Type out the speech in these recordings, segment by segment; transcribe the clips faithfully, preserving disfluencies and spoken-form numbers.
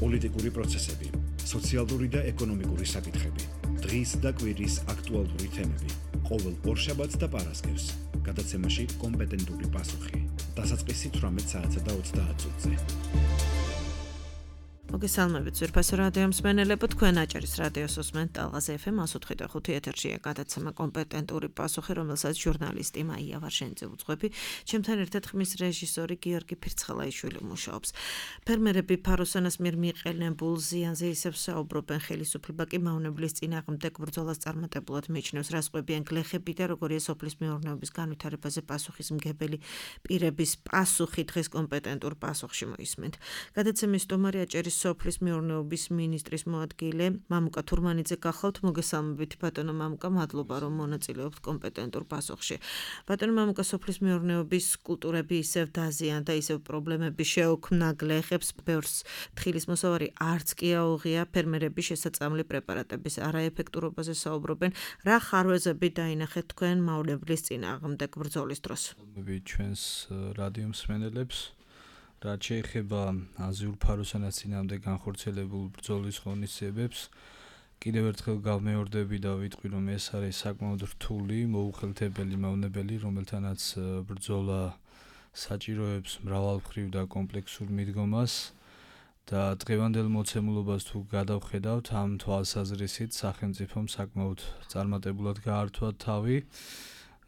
პოლიტიკური პროცესები, სოციალური და ეკონომიკური საკითხები, დღის და კვირის აქტუალური თემები, ყოველ ორშაბათს და პარასკევს, გადაცემაში კომპეტენტური პასუხი, დასაწყისი თვრამეტ საათსა და ოცდაათ წუთზე. მოგესალმებით ძვირფასო რადიო მსმენელებო, თქვენ აჭარის რადიოს უსმენთ ტალღაზე ეფ ემ one oh five point five ეთერშია გადაცემა კომპეტენტური პასუხი, რომელსაც ჟურნალისტი მაია ვარშენიძე უძღვები, ჩემთან ერთად ხმის რეჟისორი გიორგი ფირცხალაიშვილი მუშაობს. ფერმერები ფაროსანას მიერ მიყენებულ ზიანზე ისევ საუბრობენ, ხელისუფლება კი მავნებლის წინააღმდეგ ბრძოლას წარმატებულად მიიჩნევს. რას ყვებიან გლეხები და როგორია სოფლის მეურნეობის განვითარებაზე პასუხისმგებელი პირების პასუხი დღეს კომპეტენტურ პასუხში მოისმენთ. გადაცემის სტუმარი აჭარის სოფლის მეურნეობის მინისტრის მოადგილე მამუკა თურმანიძე გახლავთ. მოგესალმებით ბატონო მამუკა, მადლობა რომ მონაწილეობთ კომპეტენტურ პასუხში. ბატონო მამუკა, სოფლის მეურნეობის კულტურები ისევ დაზიან და ისევ პრობლემები შეუქმნა გლეხებს, ბევრს თხილის მოსავარი არც კი აუღია, ფერმერები შესაწამლი პრეპარატების არაეფექტურობაზე საუბრობენ. რა ხარვეზები დაინახეთ თქვენ მავნებლის წინააღმდეგ ბრძოლის დროს? ჩვენს რადიო მსმენელებს რაც შეეხება აზიურ ფაროსანას წინააღმდეგ განხორციელებულ ბრძოლის ღონისძიებებს, კიდევ ერთხელ გავმეორდები და ვიტყვი, რომ ეს არის საკმაოდ რთული, მოუხელთებელი მავნებელი, რომელთანაც ბრძოლა საჭიროებს მრავალმხრივ და კომპლექსურ მიდგომას და დღევანდელ მოცემულობას თუ გადავხედავთ, ამ თვალსაზრისით სახელმწიფომ საკმაოდ წარმატებულად გაართვა თავი.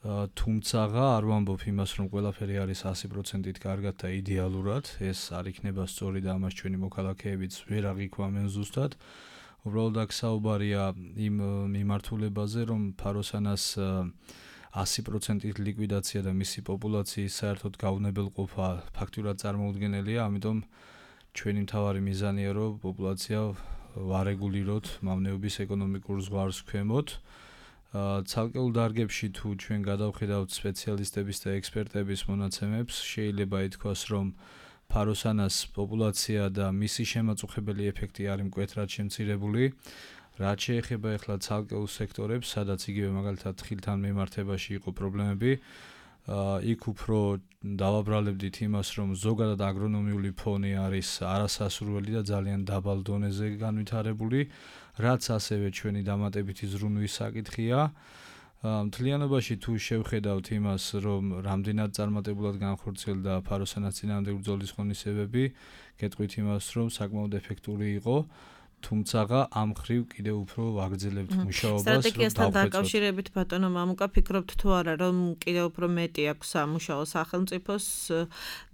თუმცაღა არ ვამბობ იმას, რომ ყველაფერი არის one hundred percent კარგად და იდეალურად, ეს არ იქნება სწორი და ამას ჩვენი მოქალაქეებიც ვერ აღიქვამენ ზუსტად. უბრალოდ აქ საუბარია იმ მიმართულებაზე, რომ ფაროსანას one hundred percent ლიკვიდაცია და მისი პოპულაციის საერთოდ გაუნებელყოფა ფაქტურად წარმოუდგენელია, ამიტომ ჩვენი მთავარი მიზანია, რომ პოპულაცია ვარეგულიროთ მავნეობის ეკონომიკურ ზღვარს ქვემოთ. ცალკეულ დარგებში თუ ჩვენ გადავხედავთ სპეციალისტების და ექსპერტების მონაცემებს, შეიძლება ითქვას, რომ ფაროსანას პოპულაცია და მისი შემაწუხებელი ეფექტი არის მკვეთრად შემცირებული. რაც შეეხება ახლა ცალკეულ სექტორებს, სადაც იგივე მაგალითად თხილთან მიმართებაში იყო პრობლემები, იქ უფრო დავაბრალებდით იმას, რომ ზოგადად აგრონომიული ფონი არის არასასურველი და ძალიან დაბალ დონეზე განვითარებული, რაც ასევე ჩვენი დამატებითი ზრუნვის საკითხია. მთლიანობაში თუ შევხედავთ იმას, რომ რამდენად წარმატებულად განხორციელდა ფაროსანას წინააღმდეგ ბრძოლის ღონისძიებები, გეტყვით იმას, რომ საკმაოდ ეფექტური იყო. თუმცაღა ამ ხრივ კიდევ უფრო ვაგრძელებთ მუშაობას. სტრატეგიასთან დაკავშირებით ბატონო მამუკა, ფიქრობთ თუ არა, რომ კიდევ უფრო მეტი აქვს სამუშაო სახელმწიფოს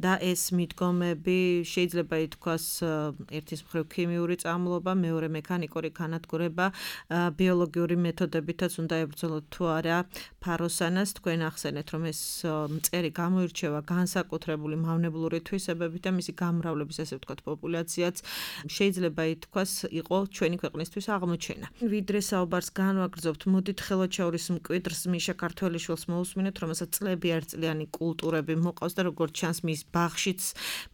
და ეს მიდგომები შეიძლება ითქვას ერთის მხრივ ქიმიური წამლობა, მეორე მექანიკური განადგურება, ბიოლოგიური მეთოდებითაც უნდა ებრძოლოთ თუ არა ფაროსანას. თქვენ ახსენეთ, რომ ეს მწერი გამოირჩევა განსაკუთრებული მავნებლური თვისებებით და მისი გამრავლების, ასე ვთქვათ, პოპულაციაც შეიძლება ითქვას იყო ჩვენი ქვეყნისთვის აღმოჩენა. ვიდრე საუბარს განვაგრძობთ, მოდით ხელვაჩაურის მკვიდრს მიშა ქართველიშვილს მოусმინეთ, რომელსაც წლები არწლიანი კულტურები მოყავს და როგორც ჩანს მის ბაღშიც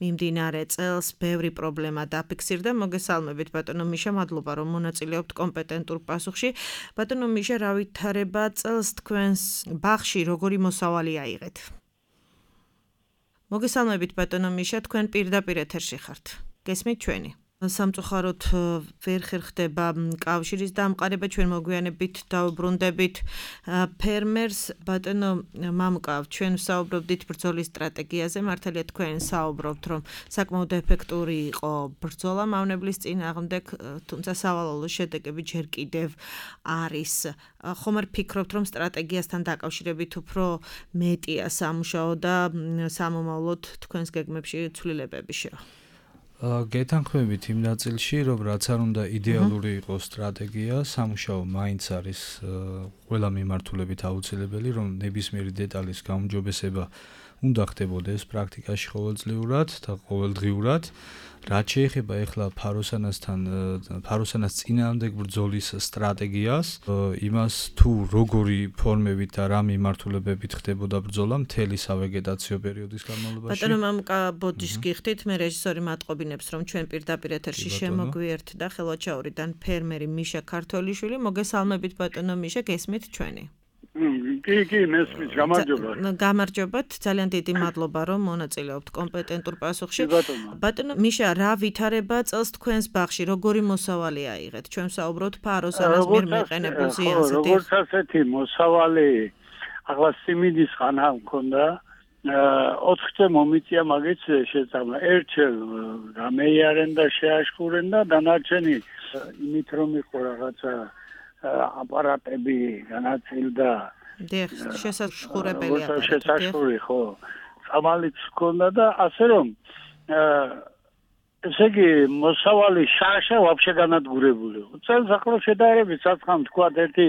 მიმდინარე წელს ბევრი პრობლემა დაფიქსირდა. მოგესალმებით ბატონო მიშა, მადლობა რომ მონაწილეობთ კომპეტენტურ პასუხში. ბატონო მიშა, რა ვითარება წელს თქვენს ბაღში, როგორი მოსავალი აიღეთ? მოგესალმებით ბატონო მიშა, თქვენ პირდაპირ ეთერში ხართ. გესმით ჩვენი? სამწუხაროდ ვერ ხერხდება კავშირის დამყარება, ჩვენ მოგვიანებით დავუბრუნდებით ფერმერს. ბატონო მამუკა, ჩვენ საუბრობდით ბრძოლის სტრატეგიაზე, მართალია თქვენ საუბრობთ, რომ საკმაოდ ეფექტური იყო ბრძოლა მავნებლის წინააღმდეგ, თუმცა სავალალო შედეგები ჯერ კიდევ არის. ხომ არ ფიქრობთ, რომ სტრატეგიასთან დაკავშირებით უფრო მეტია სამუშაო და სამომავლოდ თქვენს გეგმებში ცვლილებები შევა? გეთანხმებით იმ ნაწილში, რომ რაც არ უნდა იდეალური იყოს სტრატეგია, სამუშაო მაინც არის ყველა მიმართულებით აუცილებელი, რომ ნებისმიერი დეტალის გაუმჯობესება უნდა ხდებოდეს პრაქტიკაში ყოველწლიურად და ყოველდღიურად. რაც შეეხება ახლა ფაროსანასთან, ფაროსანას წინააღმდეგ ბრძოლის სტრატეგიას, იმას თუ როგორი ფორმებით და რა მიმართულებებით ხდებოდა ბრძოლა მთელი სავეგეტაციო პერიოდის განმავლობაში. ბატონო მამუკა, ბოდიშს გიხდით, მე რეჟისორი მატყობინებს, რომ ჩვენ პირდაპირ ეთერში შემოგვიერთდა ხელვაჩაურიდან ფერმერი მიშა ქართველიშვილი. მოგესალმებით ბატონო მიშა, გესმით ჩვენი? კი, კი, მესმის, გამარჯობა. გამარჯობათ, ძალიან დიდი მადლობა, რომ მონაწილეობთ კომპეტენტურ პასუხში. ბატონო მიშა, რა ვითარება წელს თქვენს ბაღში, როგორი მოსავალი აიღეთ? ჩვენ ვსაუბრობთ ფაროსანას მიერ მიყენებულ ზიანზე. როგორც ასეთი მოსავალი, ახლა სიმინდის ხანა მქონდა, ოთხი მომიწია მაგის შეწამლა. ერთჯერ გამეიარენ და შეაშქურენ და დანარჩენი იმით რომ იყო რაღაცა აპარატები განაწილდა. დიახ, შესაშხურებელი აპარატები. შესაშხური, ხო. წამალიც ჰქონდა და ასე რომ ესე იგი მოსავალი შაშა ვაფშე განადგურებული. წელს ახლა შედარებით საცხამ თქვა ერთი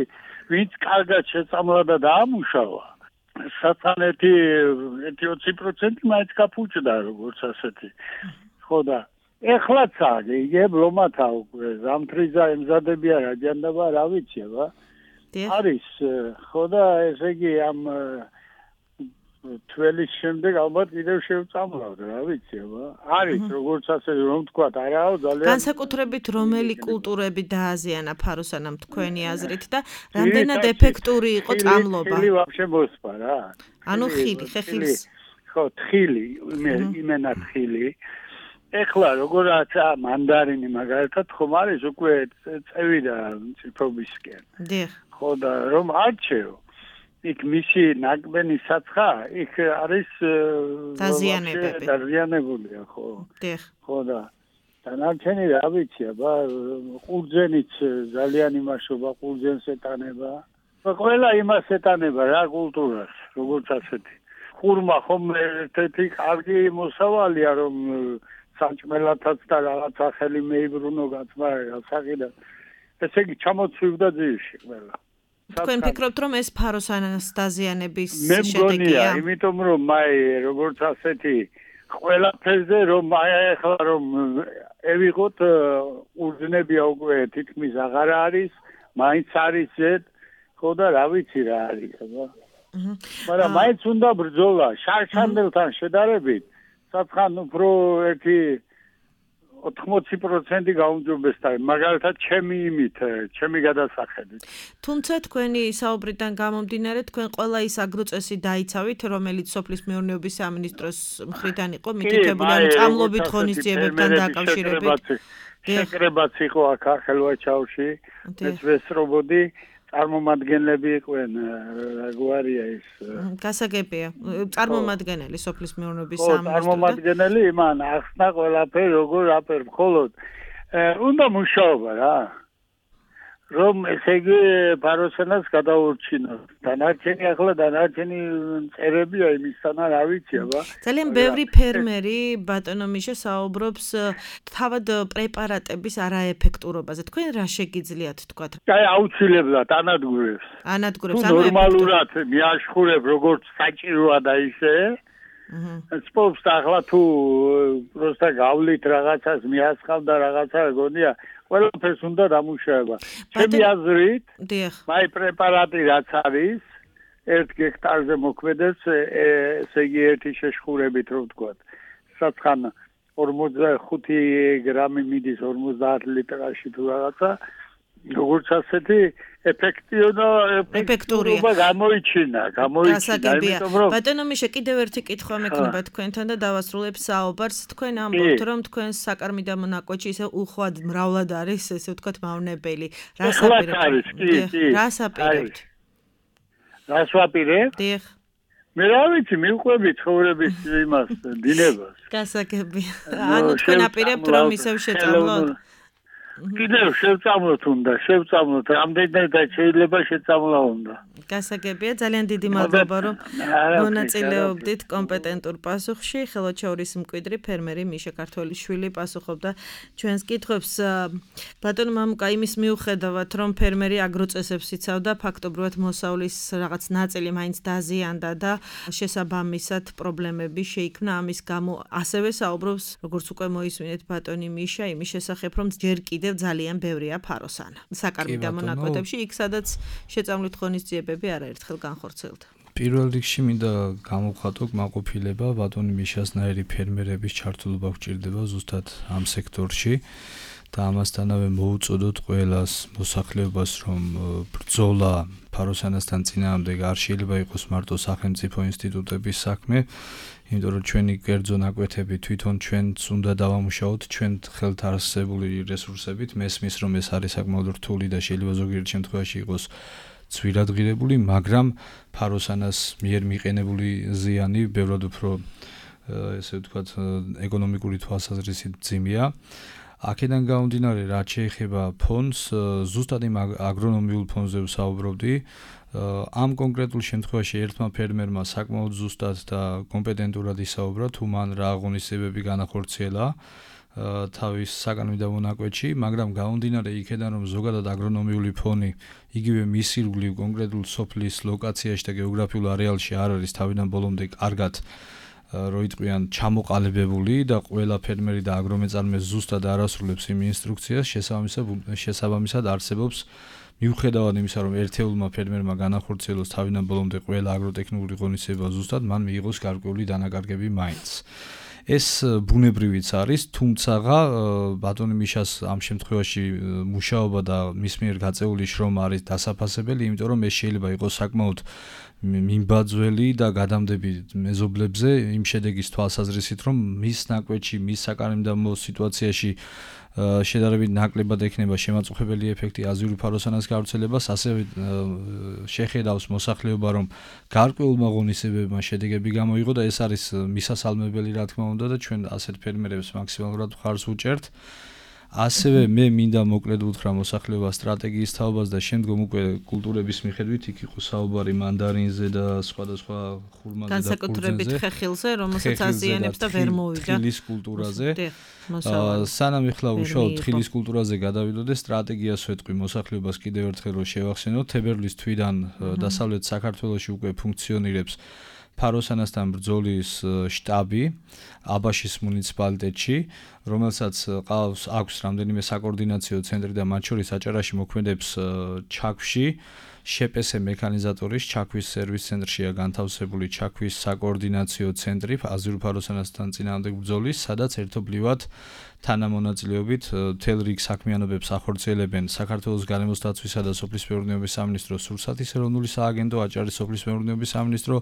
ვინც კარგად შეწამლა და დაამუშავა. საცხამ ერთი ოცი პროცენტი მაინც გაფუჭდა როგორც ასეთი. ხო და ეხლაც აგიგებ ლომათა უკვე ზამთრიზა ემზადებია რა ჯანდაბა რა ვიცი აბა არის ხო და ესე იგი ამ თველის შემდეგ ალბათ კიდევ შევწამლავ რა ვიცი აბა არის როგორც ასე რომ თქვა არაო ძალიან განსაკუთრებით რომელი კულტურები დააზიანა ფაროსანამ თქვენი აზრით და რამდენად ეფექტური იყო წამლობა ხილი ვაფშე მოსპა რა ანუ ხილი ხეხილის ხო თხილი იმენა თხილი ეხლა როგორაც მანდარინი მაგალითად ხომ არის უკვე წევი და ციფრობისკენ. დიახ. ხო და რომ არჩევ. იქ მისი ნაკბენი საცხა, იქ არის დაზიანებები. დაზიანებულია, ხო. დიახ. ხო და დანარჩენი რა ვიცი, აბა ყურძენიც ძალიან იმაშობა, ყურძენს ეტანება. ყველა იმას ეტანება რა კულტურას, როგორც ასეთი. ხურმა ხომ ერთ-ერთი კარგი მოსავალია რომ საჭმელათაც და რაღაც ახალი მეიბრუნო გაცმარა საყიდა. ესე იგი ჩამოცვივდა ძირში ყველა. თქვენ ფიქრობთ რომ ეს ფაროსანას დაზიანების შედეგია? მე მგონია, იმიტომ რომ მაი როგორც ასეთი ყველაფერზე რომ აი ახლა რომ ევიღოთ უძნებია უკვე თითქმის აღარ არის, მაინც არის ზედ, ხო და რა ვიცი რა არის, აბა. მაგრამ მაინც უნდა ბრძოლა შარშანელთან შედარებით. საცხან უფრო ერთი ოთხმოცი პროცენტი გაუმჯობესდა მაგალითად ჩემი იმით ჩემი გადასახედით თუმცა თქვენი საუბრიდან გამომდინარე თქვენ ყველა ის აგროწესი დაიცავით რომელიც სოფლის მეურნეობის სამინისტროს მხრიდან იყო მითითებული ანუ წამლობით ღონისძიებებთან დაკავშირებით შეკრებაც იყო აქ ახალვაჩაოში ეს ვესრობოდი წარმომადგენლები იყვნენ რაგვარია ის გასაგებია წარმომადგენელი სოფლის მეურნეობის სამინისტროს წარმომადგენელი იმან ახსნა ყველაფერი როგორ აფერ მხოლოდ უნდა მუშაობა რა რომ ესე იგი ფაროსანას გადაურჩინოს დანარჩენი ახლა დანარჩენი წერებია იმისთანა რა ვიცი აბა ძალიან ბევრი ფერმერი ბატონო მიშა საუბრობს თავად პრეპარატების არაეფექტურობაზე თქვენ რა შეგიძლიათ თქვათ აი აუცილებლად ანადგურებს ანადგურებს ანუ ნორმალურად მიაშხურებ როგორც საჭიროა და ისე სპორტს ახლა თუ პროსტა გავლით რაღაცას მიასხავ და რაღაცა გონია ყველაფერს უნდა დამუშავება. ჩემი აზრით, მაი პრეპარატი რაც არის, ერთ გექტარზე მოქმედებს, ესე იგი ერთი შეშხურებით რომ ვთქვათ. საცხან ორმოცდახუთი გრამი მიდის ორმოცდაათ litrაში თუ რაღაცა, როგორც ასეთი ეფექტურია გამოიჩინა, გამოიჩინა. ბატონო მიშა კიდევ ერთი კითხვა მექნება თქვენთან და დავასრულებ საუბარს. თქვენ ამბობთ რომ თქვენ საკარმიდა მონაკვეთში ისე უხვად მრავლად არის, ესე ვთქვათ, მავნებელი. რას აპირებთ? რას აპირებთ? რას ვაპირებ? დიახ. მე რა ვიცი, მივყვები ცხოვრების იმას, დინებას. გასაგებია. ანუ თქვენ აპირებთ რომ ისევ შეწამლოთ? კიდევ შევწამლოთ უნდა, შევწამლოთ, რამდენადაც შეიძლება შეწამლა უნდა. გასაგებია, ძალიან დიდი მადლობა რომ მონაწილეობდით კომპეტენტურ პასუხში. ხელოჩაურის მკვიდრი ფერმერი მიშა ქართველიშვილი პასუხობდა ჩვენს კითხვებს. ბატონო მამუკა, იმის მიუხედავად რომ ფერმერი აგროწესებს იცავდა, ფაქტობრივად მოსავლის რაღაც ნაწილი მაინც დაზიანდა და შესაბამისად პრობლემები შეიქმნა ამის გამო. ასევე საუბრობს, როგორც უკვე მოისმინეთ ბატონი მიშა, იმის შესახებ რომ ჯერ კიდევ ძალიან ბევრია ფაროსანა. საკარმიდა მონაკვეთებში, იქ სადაც შეწამლით ღონისძიებები არაერთხელ განხორციელდა. პირველ რიგში მინდა გამოვხატო კმაყოფილება ბატონი მიშასნაირი ფერმერების ჩართულობა გვჭირდება ზუსტად ამ სექტორში და ამასთანავე მოუწოდოთ ყველას მოსახლეობას, რომ ბრძოლა ფაროსანასთან წინააღმდეგ არ შეიძლება იყოს მარტო სახელმწიფო ინსტიტუტების საქმე, იმიტომ რომ ჩვენი კერძო ნაკვეთები თვითონ ჩვენც უნდა დავამუშაოთ ჩვენ ხელთ არსებული რესურსებით. მესმის რომ ეს არის საკმაოდ რთული და შეიძლება ზოგიერთ შემთხვევაში იყოს ცვილადღირებული, მაგრამ ფაროსანას მიერ მიყენებული ზიანი ბევრად უფრო ესე ვთქვათ ეკონომიკური თვალსაზრისით ძიმია. აქედან გამომდინარე, რაც შეეხება ფონდს, ზუსტად იმ აგრონომიულ ფონდზე ვსაუბრობდი. ამ კონკრეტულ შემთხვევაში ერთმა ფერმერმა საკმაოდ ზუსტად და კომპეტენტურად ისაუბრა, თუ მან რა აღონისებები განახორციელა თავის საკანონმდებლო მონაკვეთში, მაგრამ გამომდინარე იქედან, რომ ზოგადად აგრონომიული ფონი იგივე მის ირგვლივ კონკრეტულ სოფლის ლოკაციაში და გეოგრაფიულ არეალში არ არის თავიდან ბოლომდე კარგად რო იტყვიან ჩამოყალიბებული და ყველა ფერმერი და აგრომეწარმე ზუსტად არ ასრულებს იმ ინსტრუქციას, შესაბამისად არსებობს მიუხედავად იმისა, რომ ერთეულმა ფერმერმა განახორციელოს თავიდან ბოლომდე ყველა აგროტექნიკური ღონისება ზუსტად, მან მიიღოს გარკვეული დანაკარგები მაინც. ეს ბუნებრივიც არის, თუმცა ბატონი მიშას ამ შემთხვევაში მუშაობა და მის მიერ გაწეული შრომა არის დასაფასებელი, იმიტომ რომ ეს შეიძლება იყოს საკმაოდ მიმბაძველი და გადამდები მეზობლებზე იმ შედეგის თვალსაზრისით, რომ მის ნაკვეთში, მის საკანონმდებლო სიტუაციაში შედარებით ნაკლებად ექნება შემაწუხებელი ეფექტი აზიური ფაროსანას გავრცელებას, ასევე შეხედავს მოსახლეობა, რომ გარკვეულმა ღონისებებმა შედეგები გამოიღო და ეს არის მისასალმებელი, რა თქმა უნდა, და ჩვენ ასეთ ფერმერებს მაქსიმალურად მხარს ვუჭერთ. ასევე მე მინდა მოკლედ უთხრა მოსახლეობას სტრატეგიის თაობას და შემდგომ უკვე კულტურების მიხედვით იქ იყო საუბარი მანდარინზე და სხვადასხვა ხურმაზე და განსაკუთრებით ხეხილზე, რომელსაც აზიანებს და ვერ მოვიდა თხილის კულტურაზე. სანამ ეხლა უშუალოდ თხილის კულტურაზე გადავიდოდე, სტრატეგიას ვეთყვი მოსახლეობას კიდევ ერთხელ რომ შევახსენოთ, თებერვლის თვიდან დასავლეთ საქართველოში უკვე ფუნქციონირებს ფაროსანასთან ბრძოლის შტაბი აბაშის მუნიციპალიტეტში, რომელსაც ყავს აქვს რამდენიმე საკოორდინაციო ცენტრი და მათ შორის აჭარაში მოქმედებს ჩაქვში შეპესე მექანიზატორის ჩაქვის სერვის ცენტრშია განთავსებული ჩაქვის საკოორდინაციო ცენტრი აზიური ფაროსანასთან წინააღმდეგ ბრძოლის, სადაც ერთობლივად თანამონაწილეობით მთელ რიგ საქმიანობებს ახორციელებენ საქართველოს გარემოს დაცვისა და სოფლის მეურნეობის სამინისტრო, სურსათის ეროვნული სააგენტო, აჭარის სოფლის მეურნეობის სამინისტრო,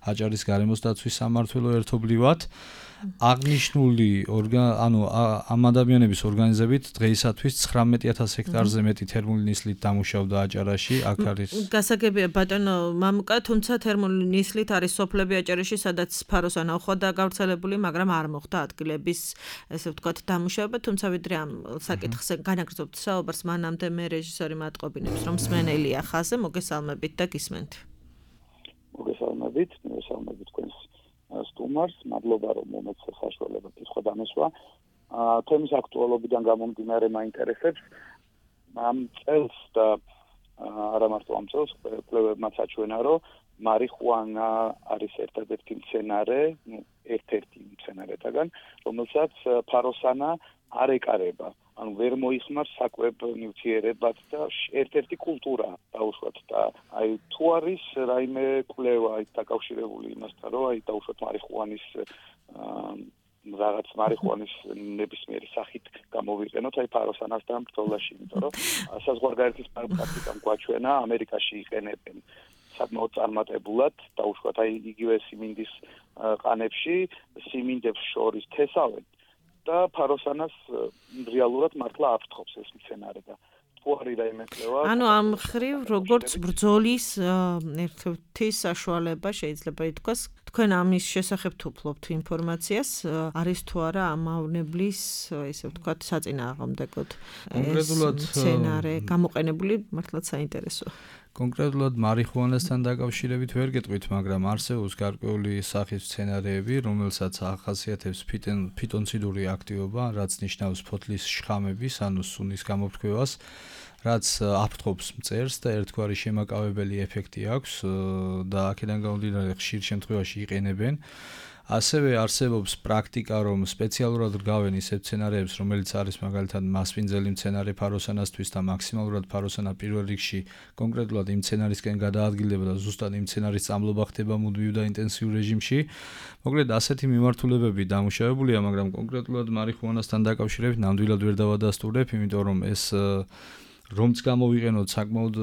აჭარის გარემოს დაცვის სამმართველო ერთობლივად. აღნიშნული ანუ ამ ადამიანების ორგანიზებით დღეისათვის ცხრამეტი ათას ჰექტარზე მეტი თერმული ნისლით დამუშავდა აჭარაში. აქ არის გასაგებია ბატონო მამუკა, თუმცა თერმული ნისლით არის სოფლები აჭარაში, სადაც ფაროსანა უხვადაა გავრცელებული, მაგრამ არ მოხდა ადგილების ესე ვთქვათ დამუშავება, თუმცა ვიდრე ამ საკითხზე განაგრძობთ საუბარს, მანამდე მე რეჟისორი მატყობინებს, რომ მსმენელია ხაზზე, მოგესალმებით და გისმენთ. მოგესალმებით, მოგესალმებით თქვენს სტუმარს, მადლობა რომ მომეცე საშუალება კითხვა დამესვა. თემის აქტუალობიდან გამომდინარე მაინტერესებს ამ წელს და არა მარტო ამ წელს კვლევებმაც აჩვენა, რომ მარიხუანა არის ერთადერთი მცენარე, ну, ერთ-ერთი მცენარეთაგან, რომელსაც ფაროსანა არ ეკარება. ანუ ვერ მოიხმარს საკვებ ნივთიერებად და ერთ-ერთი კულტურა დაუშვათ და აი თუ არის რაიმე კვლევა აი დაკავშირებული იმასთან, რომ აი დაუშვათ მარიხუანის რაღაც მარიხუანის ნებისმიერი სახით გამოვიყენოთ აი ფაროსანასთან ბრძოლაში, იმიტომ რომ საზღვარგარეთის პრაქტიკამ გვაჩვენა, ამერიკაში იყენებენ საკმაოდ წარმატებულად, დაუშვათ აი იგივე სიმინდის ყანებში, სიმინდებს შორის თესავენ და ფაროსანას რეალურად მართლა აფრთხობს ეს მცენარე და თუ არის რაიმე კვლევა. ანუ ამ ხრივ როგორც ბრძოლის ერთ-ერთი საშუალება შეიძლება ითქვას, თქვენ ამის შესახებ თუფლობთ ინფორმაციას, არის თუ არა ამ მავნებლის ესე ვთქვათ საწინააღმდეგოდ კონკრეტულად მცენარე გამოყენებული, მართლაც საინტერესოა. კონკრეტულად მარიხუანასთან დაკავშირებით ვერ გეტყვით, მაგრამ არსებობს გარკვეული სახის მცენარეები, რომელსაც ახასიათებს ფიტონციდური აქტივობა, რაც ნიშნავს ფოთლის შხამების, ანუ სუნის გამოფრქვევას, რაც აფრთხობს მწერს და ერთგვარი შემაკავებელი ეფექტი აქვს და აქედან გამომდინარე ხშირ შემთხვევაში იყენებენ. ასევე არსებობს პრაქტიკა, რომ სპეციალურად რგავენ ისეთ სცენარებს, რომელიც არის მაგალითად მასპინძელი მცენარე ფაროსანასთვის და მაქსიმალურად ფაროსანა პირველ რიგში კონკრეტულად იმ სცენარისკენ გადაადგილდება და ზუსტად იმ სცენარის წამლობა ხდება მუდმივ და ინტენსიურ რეჟიმში. მოკლედ ასეთი მიმართულებები დამუშავებულია, მაგრამ კონკრეტულად მარიხუანასთან დაკავშირებით ნამდვილად ვერ დავადასტურებ, იმიტომ რომ ეს რომც გამოვიყენოთ საკმაოდ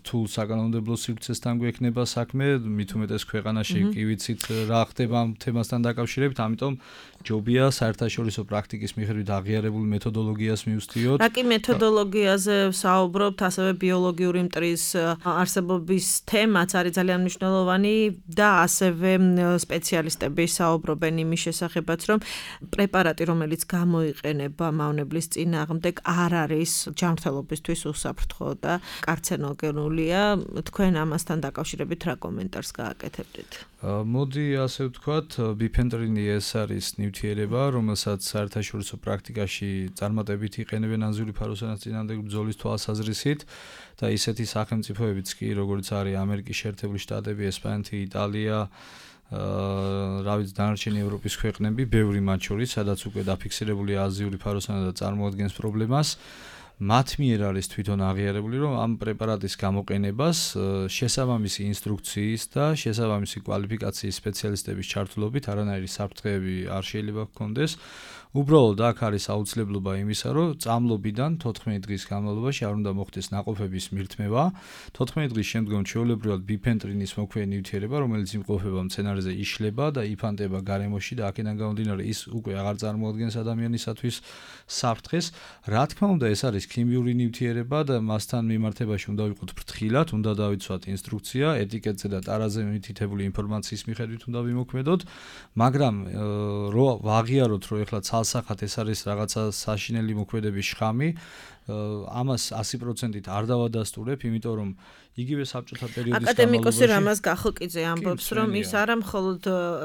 რთულ საკანონმდებლო სივრცესთან გვექნება საქმე, მით უმეტეს ქვეყანაში კი ვიცით რა ხდება ამ თემასთან დაკავშირებით, ამიტომ ჯობია საერთაშორისო პრაქტიკის მიხედვით აღიარებულ მეთოდოლოგიას მივსდიოთ. რა კი მეთოდოლოგიაზე საუბრობთ, ასევე ბიოლოგიური მტრის არსებობის თემაც არის ძალიან მნიშვნელოვანი და ასევე სპეციალისტები საუბრობენ იმის შესახებაც, რომ პრეპარატი, რომელიც გამოიყენება მავნებლის წინააღმდეგ, არ არის ჯანმრთელობისთვის უსაფრთხო და კარცინოგენულია. თქვენ ამასთან დაკავშირებით რა კომენტარს გააკეთებდით? მოდი ასე ვთქვათ, ბიფენტრინი ეს არის ნივთიერება, რომელსაც საერთაშორისო პრაქტიკაში წარმატებით იყენებენ ანზიური ფაროსანის წინააღმდეგ ბრძოლის თვალსაზრისით და ისეთი სახელმწიფოებიც კი, როგორც არის ამერიკის შეერთებული შტატები, ესპანეთი, იტალია, რა ვიცი, დანარჩენი ევროპის ქვეყნები, ბევრი მათ შორის, სადაც უკვე დაფიქსირებულია ანზიური ფაროსანა და წარმოადგენს პრობლემას. მათ მიერ არის თვითონ აღიარებული, რომ ამ პრეპარატის გამოყენებას შესაბამისი ინსტრუქციის და შესაბამისი კვალიფიკაციის სპეციალისტების ჩართულობით არანაირი საფრთხეები არ შეიძლება ჰქონდეს. უბრალოდ აქ არის აუცილებლობა იმისა, რომ წამლობიდან თოთხმეტი დღის განმავლობაში არ უნდა მოხდეს ნაყოფების მირთმევა. თოთხმეტი დღის შემდგომ ჩვეულებრივად ბიფენტრინის მოქმედი ნივთიერება, რომელიც იმყოფება მცენარეზე, იშლება და იფანტება გარემოში და აქედან გამომდინარე ის უკვე აღარ წარმოადგენს ადამიანისათვის საფრთხეს. რა თქმა უნდა, ეს არის ქიმიური ნივთიერება და მასთან მიმართებაში უნდა ვიყოთ ფრთხილად, უნდა დავიცვათ ინსტრუქცია, ეტიკეტზე და ტარაზე მითითებული ინფორმაციის მიხედვით უნდა ვიმოქმედოთ, მაგრამ რო ვაღიაროთ, რომ ეხლა ცალსახად ეს არის რაღაცა საშინელი მოქმედების შხამი, ამას sto procent არ დავადასტურებ, იმიტომ რომ იგივე საბჭოთა პერიოდის აკადემიკოსი რამაზ გახლკიძე ამბობს, რომ ის არა მხოლოდ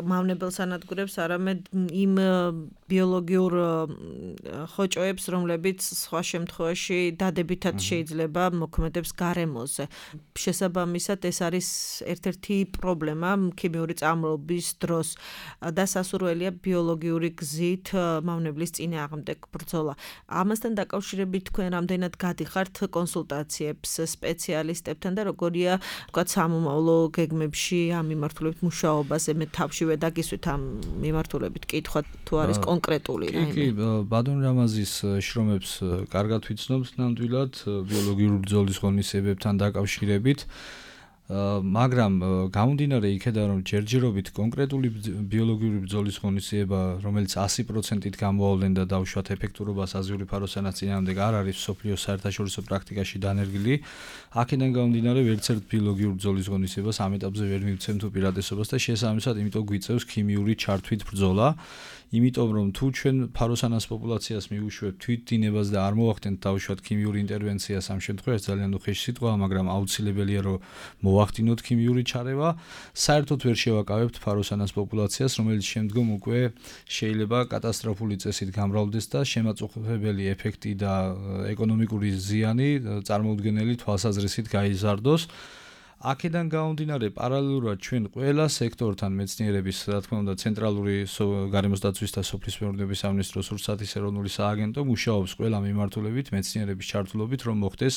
მავნებელს ანადგურებს, არამედ იმ ბიოლოგიურ ხოჭოებს, რომლებიც სხვა შემთხვევაში დადებითად შეიძლება მოქმედებს გარემოზე. შესაბამისად, ეს არის ერთ-ერთი პრობლემა ქიმიური წამლობის დროს და სასურველია ბიოლოგიური გზით მავნებლის წინააღმდეგ ბრძოლა. ამასთან დაკავშირებით თქვენ რამდენად გადიხართ კონსულტაციებს სპეციალისტებთან და როგორია, ვთქვათ, სამომავლო გეგმებში ამ მიმართულებით მუშაობაზე მე თავშივე დაგისვით ამ მიმართულებით კითხვა თუ არის კონკრეტული რაიმე. კი, ბადონ რამაზის შრომებს კარგად ვიცნობთ ნამდვილად ბიოლოგიური ბრძოლის ღონისძიებებთან დაკავშირებით. მაგრამ გამომდინარე იქედან, რომ ჯერჯერობით კონკრეტული ბიოლოგიური ბრძოლის ღონისძიება, რომელიც sto procent-ით გამოავლენ და დავუშვათ ეფექტურობას ანზიური ფაროსანის წინააღმდეგ არ არის მსოფლიოს საერთაშორისო პრაქტიკაში დანერგილი, აქედან გამომდინარე ვერც ერთ ბიოლოგიურ ბრძოლის ღონისძიებას ამ ეტაპზე ვერ მივცემთ უპირატესობას და შესაბამისად, იმიტომ გვიწევს ქიმიური ჩართვით ბრძოლა. იმიტომ რომ თუ ჩვენ ფაროსანას პოპულაციას მიუშვებთ თვითდინებას და არ მოახდენთ დავუშვათ ქიმიური ინტერვენციას ამ შემთხვევაში ძალიან უხეში სიტყვაა, მაგრამ აუცილებელია რომ მოვახდინოთ ქიმიური ჩარევა, საერთოდ ვერ შევაკავებთ ფაროსანას პოპულაციას, რომელიც შემდგომ უკვე შეიძლება კატასტროფული წესით გამრავლდეს და შემაწუხებელი ეფექტი და ეკონომიკური ზიანი წარმოუდგენელი თვალსაზრისით გაიზარდოს. აქედან გამომდინარე პარალელურად ჩვენ ყველა სექტორთან მეცნიერების, რა თქმა უნდა, ცენტრალური გარემოს დაცვის და სოფლის მეურნეობის სამინისტროს რუსეთის ეროვნული სააგენტო მუშაობს ყველა მიმართულებით მეცნიერების ჩართულობით, რომ მოხდეს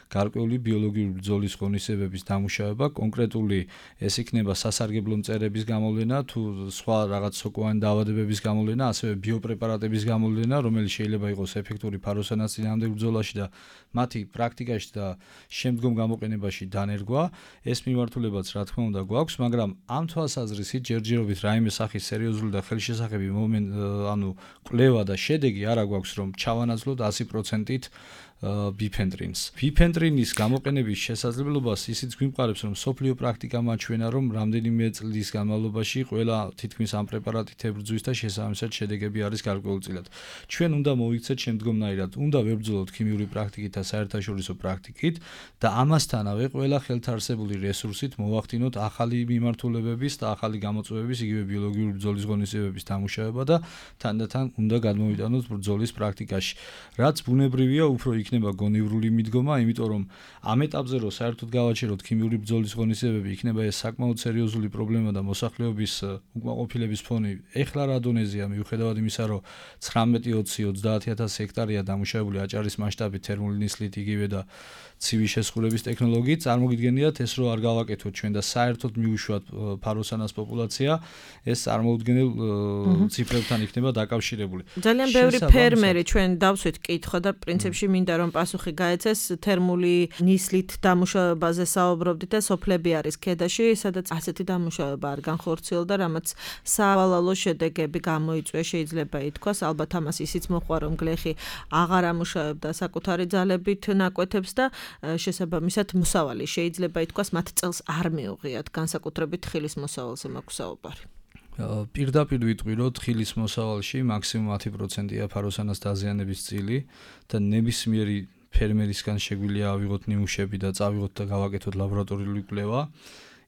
გარკვეული ბიოლოგიური ბრძოლის ღონისძიებების დამუშავება, კონკრეტული ეს იქნება სასარგებლო მწერების გამოვლენა, თუ სხვა რაღაც სოკოვანი დაავადებების გამოვლენა, ასევე ბიოპრეპარატების გამოვლენა, რომელიც შეიძლება იყოს ეფექტური ფაროსანის წინააღმდეგ ბრძოლაში და მათი პრაქტიკაში და შემდგომ გამოყენებაში დანერგვა. ეს მიმართულებაც რა თქმა უნდა გვაქვს, მაგრამ ამ თვალსაზრისით ჯერჯერობით რაიმე სახის სერიოზული და ხელშესახები მომენტ, ანუ კვლევა და შედეგი არა გვაქვს, რომ ჩავანაცვლოთ sto procent-ით ბიფენტრინს. ბიფენტრინის გამოყენების შესაძლებლობას ისიც გვიმყარებს, რომ სოფლიო პრაქტიკა მაჩვენა, რომ რამდენიმე წლის განმავლობაში ყველა თითქმის ამ პრეპარატით ებრძვის და შესაბამისად შედეგები არის გარკვეულწილად. ჩვენ უნდა მოვიქცეთ შემდგომნაირად, უნდა ვებრძოლოთ ქიმიური პრაქტიკით და საერთაშორისო პრაქტიკით და ამასთანავე ყველა ხელთარსე არსებული რესურსით მოვახდინოთ ახალი მიმართულებების და ახალი გამოწვევების, იგივე ბიოლოგიური ბრძოლის ღონისძიებების დამუშავება და თანდათან უნდა გადმოვიტანოთ ბრძოლის პრაქტიკაში. რაც ბუნებრივია, უფრო იქნება გონივრული მიდგომა, იმიტომ რომ ამ ეტაპზე რო საერთოდ გავაჩეროთ ქიმიური ბრძოლის ღონისძიებები, იქნება ეს საკმაოდ სერიოზული პრობლემა და მოსახლეობის უკმაყოფილების ფონი ეხლა რა დონეზეა, მიუხედავად იმისა, რომ ცხრამეტი, ოცი, ოცდაათი ათასი ჰექტარია დამუშავებული აჭარის მასშტაბით თერმული ნისლით იგივე და ცივი შესხურების ტექნოლოგიით, წარმოგიდგენიათ ეს რო არ გავაკეთოთ ჩვენ და საერთოდ მიუშვათ ფაროსანას პოპულაცია, ეს წარმოუდგენელ ციფრებთან იქნება დაკავშირებული. ძალიან ბევრი ფერმერი ჩვენ დავსვით კითხვა და პრინციპში მინდა რომ პასუხი გაეცეს თერმული ნისლით დამუშავებაზე საუბრობდით და სოფლები არის ქედაში, სადაც ასეთი დამუშავება არ განხორციელდა, რამაც სავალალო შედეგები გამოიწვია, შეიძლება ითქვას, ალბათ ამას ისიც მოხდა რომ გლეხი აღარ ამუშავებდა საკუთარი ძალებით ნაკვეთებს და შესაბამისად მოსავალი შეიძლება ითქვას მათ წელს არ მიუღიათ, განსაკუთრებით თხილის მოსავალზე მაქვს საუბარი. პირდაპირ ვიტყვი, რომ თხილის მოსავალში მაქსიმუმ ათი პროცენტია ფაროსანას დაზიანების წილი და ნებისმიერი ფერმერისგან შეგვიძლია ავიღოთ ნიმუშები და წავიღოთ და გავაკეთოთ ლაბორატორიული კვლევა.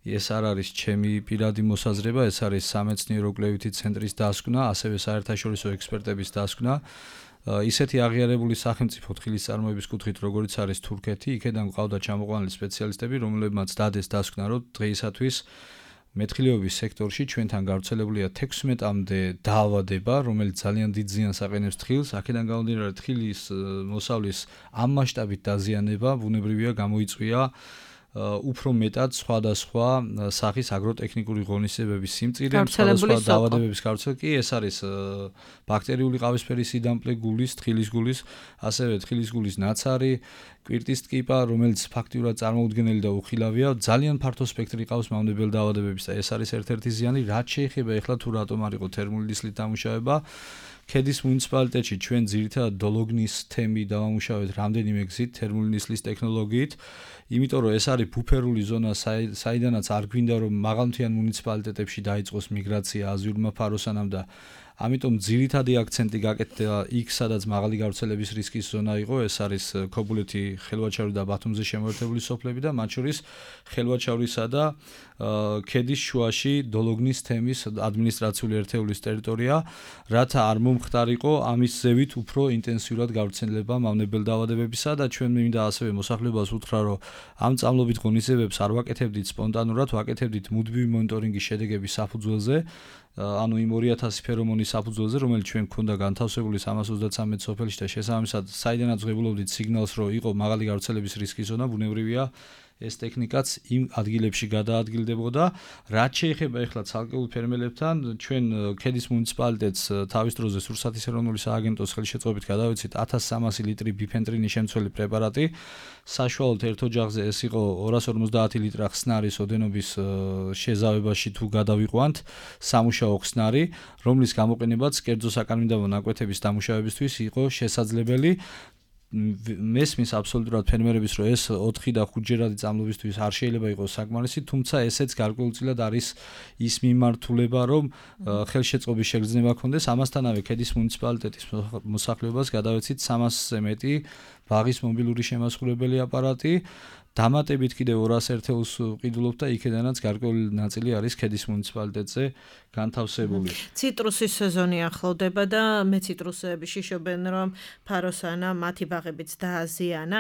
ეს არ არის ჩემი პირადი მოსაზრება, ეს არის სამეცნიერო კვლევითი ცენტრის დასკვნა, ასევე საერთაშორისო ექსპერტების დასკვნა. ისეთი აღიარებული სახელმწიფო თხილის წარმოების კუთხით, როგორიც არის თურქეთი, იქედან გვყავდა ჩამოყვანილი სპეციალისტები, რომლებმაც დადეს დასკვნა, რომ დღეისათვის მეთხილეობის სექტორში ჩვენთან გავრცელებულია თექვსმეტამდე დაავადება, რომელიც ძალიან დიდ ზიანს აყენებს თხილს. აქედან გამომდინარე, თხილის მოსავლის ამ მასშტაბით დაზიანება ბუნებრივია გამოიწვია უფრო მეტად სხვადასხვა სახის აგროტექნიკური ღონისძიებების სიმწირე, სხვადასხვა დაავადებების გავრცელება კი ეს არის ბაქტერიული ყავისფერი სიდამპლე გულის, თხილის გულის, ასევე თხილის გულის ნაცარი, კვირტის ტკიპა, რომელიც ფაქტიურად წარმოუდგენელი და უხილავია, ძალიან ფართო სპექტრი ყავს მავნებელ დაავადებების და ეს არის ერთ-ერთი ზიანი, რაც შეეხება ეხლა თუ რატომ არ იყო თერმული ნისლით დამუშავება. ქედის მუნიციპალიტეტში ჩვენ ძირითადად დოლოგნის თემი დავამუშავეთ რამდენიმე გზით თერმული ნისლის ტექნოლოგიით, იმიტომ რომ ეს არის ბუფერული ზონა, საიდანაც არ გვინდა რომ მაღალმთიან მუნიციპალიტეტებში დაიწყოს მიგრაცია აზიურმა ფაროსანამ და ამიტომ ძირითადი აქცენტი გაკეთდა იქ, სადაც მაღალი გავრცელების რისკის ზონა იყო, ეს არის ქობულეთი, ხელვაჩავრი და ბათუმზე შემოერთებული სოფლები და მათ შორის ხელვაჩავრისა და ქედის შუაში დოლოგნის თემის ადმინისტრაციული ერთეულის ტერიტორია, რათა არ მომხდარიყო ამის ზევით უფრო ინტენსიურად გავრცელება მავნებელ დაავადებებისა და ჩვენ მინდა ასევე მოსახლეობას უთხრა, რომ ამ წამლობით ღონისძიებებს არ ვაკეთებდით სპონტანურად, ვაკეთებდით მუდმივი მონიტორინგის შედეგების საფუძველზე. ანუ იმ ორი ათასი ფერომონის საფუძველზე, რომელიც ჩვენ გვქონდა განთავსებული სამას ოცდათსამეტ სოფელში და შესაბამისად, საიდანაც ვღებულობდით სიგნალს, რომ იყო მაღალი გავრცელების რისკის ზონა, ბუნებრივია ეს ტექნიკაც იმ ადგილებში გადაადგილდებოდა. რაც შეეხება ეხლა ცალკეულ ფერმერებთან, ჩვენ ქედის მუნიციპალიტეტს თავის დროზე სურსათის ეროვნული სააგენტოს ხელშეწყობით გადავეცით ათას სამასი ლიტრი ბიფენტრინის შემცველი პრეპარატი. საშუალოდ ერთ ოჯახზე ეს იყო ორას ორმოცდაათი ლიტრა ხსნარის ოდენობის შეზავებაში თუ გადავიყვანთ სამუშაო ხსნარი, რომლის გამოყენებაც კერძო საკანონმდებლო ნაკვეთების დამუშავებისთვის იყო შესაძლებელი. მესმის აბსოლუტურად ფერმერების რომ ეს ოთხი და ხუთჯერადი წამლობისთვის არ შეიძლება იყოს საკმარისი, თუმცა ესეც გარკვეულწილად არის ის მიმართულება, რომ ხელშეწყობის შეგრძნება ქონდეს. ამასთანავე ქედის მუნიციპალიტეტის მოსახლეობას გადავეცით სამასზე მეტი ბაღის მობილური შემასხურებელი აპარატი. დამატებით კიდევ ორას ერთეულს ვყიდულობთ და იქედანაც გარკვეული ნაწილი არის ქედის მუნიციპალიტეტზე განთავსებული. ციტრუსის სეზონი ახლოვდება და მე ციტრუსები შიშობენ რომ ფაროსანა მათი ბაღებიც დააზიანა.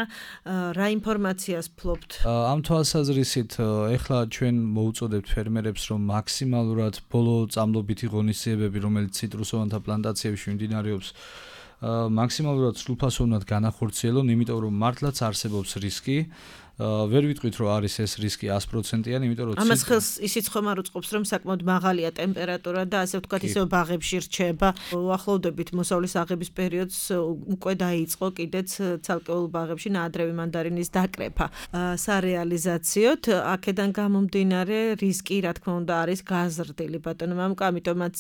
რა ინფორმაციას ფლობთ? ამ თვალსაზრისით ეხლა ჩვენ მოუწოდებთ ფერმერებს რომ მაქსიმალურად ბოლო წამლობითი ღონისძიებები, რომელიც ციტრუსოვანთა პლანტაციებში მიმდინარეობს, მაქსიმალურად სრულფასოვნად განახორციელონ, იმიტომ რომ მართლაც არსებობს რისკი. ვერ ვიტყვით რომ არის ეს რისკი ას პროცენტიანი, იმიტომ რომ ამას ხელს ისიც ხომ არ უწყობს რომ საკმაოდ მაღალია ტემპერატურა და ასე ვთქვათ ისევ ბაღებში რჩება. უახლოვდებით მოსავლის აღების პერიოდს უკვე დაიწყო კიდეც ცალკეულ ბაღებში ნაადრევი მანდარინის დაკრეფა. სარეალიზაციოდ აქედან გამომდინარე რისკი რა თქმა უნდა არის გაზრდილი ბატონო მამუკა, ამიტომაც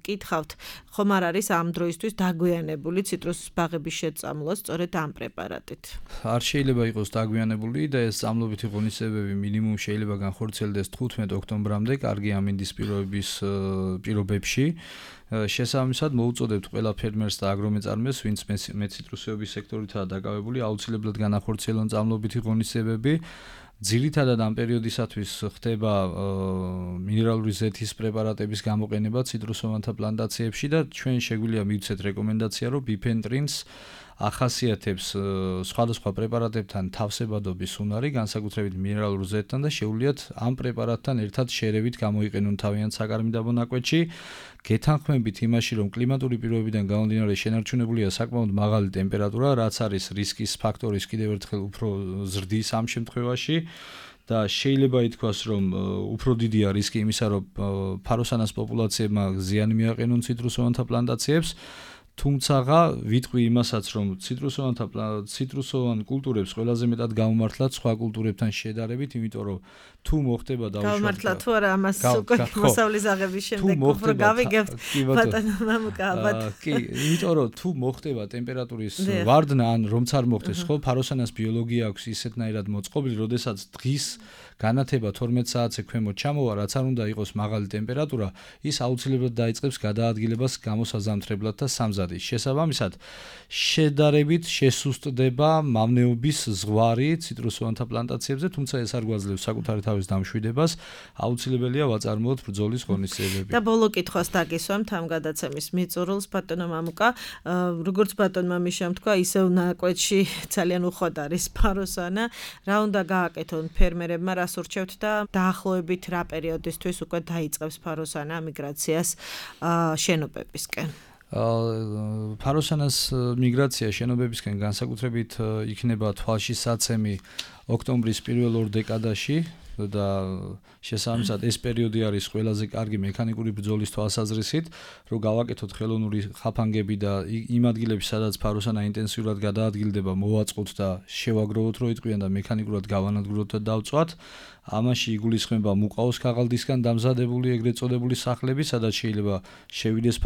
კითხავთ, ხომ არ არის ამ დროისთვის დაგვიანებული ციტრუსის ბაღების შეწამლა სწორედ ამ პრეპარატით? არ შეიძლება იყოს დაგვიანებული და ეს წამლობითი ღონისძიებები მინიმუმ შეიძლება განხორციელდეს თხუთმეტ ოქტომბრამდე კარგი ამინდის პირობების პირობებში. შესაბამისად მოუწოდებთ ყველა ფერმერს და აგრომეწარმეს, ვინც მეციტრუსეობის სექტორითაა დაკავებული, აუცილებლად განახორციელონ წამლობითი ღონისძიებები ძირითადად ამ პერიოდისათვის ხდება მინერალური ზეთის პრეპარატების გამოყენება ციტრუსოვანთა პლანტაციებში და ჩვენ შეგვიძლია მივცეთ რეკომენდაცია, რომ ბიფენტრინს ახასიათებს სხვადასხვა პრეპარატებთან თავსებადობის უნარი, განსაკუთრებით მინერალურ ზეთთან და შეუძლიათ ამ პრეპარატთან ერთად შერევით გამოიყენონ თავიანთ საკარმიდაბო ნაკვეთში, გეთანხმებით იმაში, რომ კლიმატური პირობებიდან გამომდინარე შენარჩუნებულია საკმაოდ მაღალი ტემპერატურა, რაც არის რისკის ფაქტორის კიდევ ერთხელ უფრო ზრდის ამ შემთხვევაში და შეიძლება ითქვას, რომ უფრო დიდია რისკი იმისა, რომ ფაროსანას პოპულაციებმა ზიანი მიაყენონ ციტრუსოვანთა პლანტაციებს. თუმცა ვიტყვი იმასაც, რომ ციტრუსოვანთა ციტრუსოვან კულტურებს ყველაზე მეტად გამომართლათ სხვა კულტურებთან შედარებით, იმიტომ რომ თუ მოხდება დაუშვათ გამართლა თუ არა ამას უკვე მოსავლის აღების შემდეგ უფრო გავიგებთ ბატონო მამუკა ალბათ კი იმიტომ რომ თუ მოხდება ტემპერატურის ვარდნა ან რომც არ მოხდეს ხო ფაროსანას ბიოლოგია აქვს ისეთნაირად მოწყობილი როდესაც დღის განათება თორმეტ საათზე ქვემოთ ჩამოვა რაც არ უნდა იყოს მაღალი ტემპერატურა ის აუცილებლად დაიწყებს გადაადგილებას გამოსაზამთრებლად და სამზადის შესაბამისად შედარებით შესუსტდება მავნეობის ზღვარი ციტრუსოვანთა პლანტაციებზე თუმცა ეს არ გვაძლევს საკუთარი თავის დამშვიდებას აუცილებელია ვაწარმოოთ ბრძოლის ღონისძიებები. და ბოლო კითხვას დაგისვამთ ამ გადაცემის მიწურულს ბატონო მამუკა, როგორც ბატონმა მიშამ თქვა, ისევ ნაკვეთში ძალიან უხვად არის ფაროსანა. რა უნდა გააკეთონ ფერმერებმა, რას ურჩევთ და დაახლოებით რა პერიოდისთვის უკვე დაიწყებს ფაროსანა მიგრაციას შენობებისკენ? ფაროსანას მიგრაცია შენობებისკენ განსაკუთრებით იქნება თვალში საცემი ოქტომბრის პირველ ორ დეკადაში და შესაბამისად ეს პერიოდი არის ყველაზე კარგი მექანიკური ბრძოლის თვალსაზრისით, რომ გავაკეთოთ ხელოვნური ხაფანგები და იმ ადგილებში, სადაც ფაროსანა ინტენსიურად გადაადგილდება, მოვაწყოთ და შევაგროვოთ რო იტყვიან და მექანიკურად გავანადგუროთ და დავწვათ. ამაში იგულისხმება მუყაოს ქაღალდისგან დამზადებული ეგრეთ წოდებული სახლები, სადაც შეიძლება შევიდეს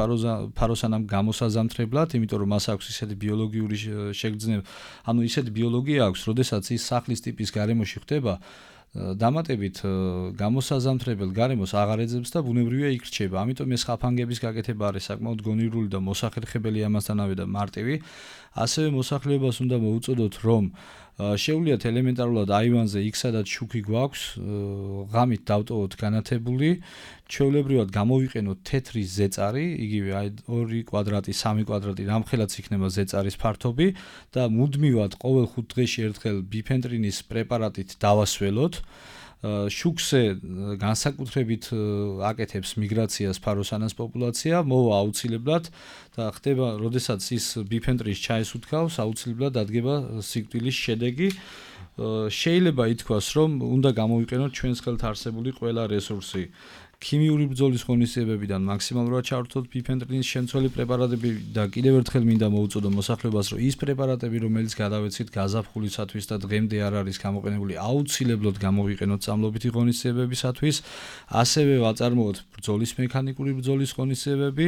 ფაროსანამ გამოსაზამთრებლად, იმიტომ რომ მას აქვს ისეთი ბიოლოგიური შეგრძნება, ანუ ისეთი ბიოლოგია აქვს, როდესაც ის სახლის ტიპის გარემოში ხდება, დამატებით გამოსაზამთრებელ გარემოს აღარ ეძებს და ბუნებრივია იქ რჩება. ამიტომ ეს ხაფანგების გაკეთება არის საკმაოდ გონივრული და მოსახერხებელი ამასთანავე და მარტივი. ასევე მოსახლეობას უნდა მოუწოდოთ, რომ შეუძლიათ ელემენტარულად აივანზე იქ სადაც შუქი გვაქვს, ღამით დავტოვოთ განათებული, ჩვეულებრივად გამოვიყენოთ თეთრი ზეწარი, იგივე აი ორი კვადრატი, სამი კვადრატი, რამხელაც იქნება ზეწარის ფართობი და მუდმივად ყოველ ხუთ დღეში ერთხელ ბიფენტრინის პრეპარატით დავასველოთ. შუქზე განსაკუთრებით აკეთებს მიგრაციას ფაროსანას პოპულაცია, მოვა აუცილებლად და ხდება, როდესაც ის ბიფენტრის ჩაის უთქავს, აუცილებლად დადგება სიკვდილის შედეგი. შეიძლება ითქვას, რომ უნდა გამოვიყენოთ ჩვენს ხელთ არსებული ყველა რესურსი. ქიმიური ბრძოლის ღონისძიებებიდან მაქსიმალურად ჩავრთოთ ბიფენტრინის შემცველი პრეპარატები და კიდევ ერთხელ მინდა მოუწოდო მოსახლეობას, რომ ის პრეპარატები, რომელიც გადავეცით გაზაფხულისათვის და დღემდე არ არის გამოყენებული, აუცილებლად გამოვიყენოთ წამლობითი ღონისძიებებისათვის, ასევე ვაწარმოოთ ბრძოლის მექანიკური ბრძოლის ღონისძიებები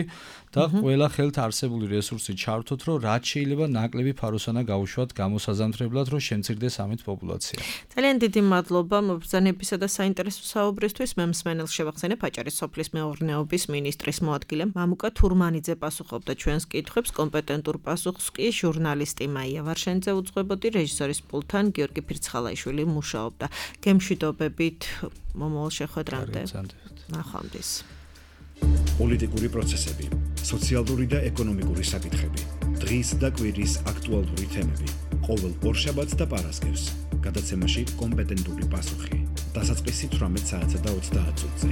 და ყველა ხელთ არსებული რესურსი ჩავრთოთ, რომ რაც შეიძლება ნაკლები ფაროსანა გაუშვათ გამოსაზამთრებლად, რომ შემცირდეს ამით პოპულაცია. ძალიან დიდი მადლობა მობრძანებისა და საინტერესო საუბრისთვის. მე მსმენელს შევახსენებ აჭარის სოფლის მეურნეობის მინისტრის მოადგილე მამუკა თურმანიძე პასუხობდა ჩვენს კითხვებს, კომპეტენტურ პასუხს კი ჟურნალისტი მაია ვარშენიძე უძღვებოდი, რეჟისორის პულტთან გიორგი ფირცხალაიშვილი მუშაობდა. გემშვიდობებით მომავალ შეხვედრამდე. ნახვამდის. პოლიტიკური პროცესები, სოციალური და ეკონომიკური საკითხები, დღის და კვირის აქტუალური თემები, ყოველ ორშაბათს და პარასკევს, გადაცემაში კომპეტენტური პასუხი. დასაწყისი თვრამეტ საათსა და ოცდაათ წუთზე.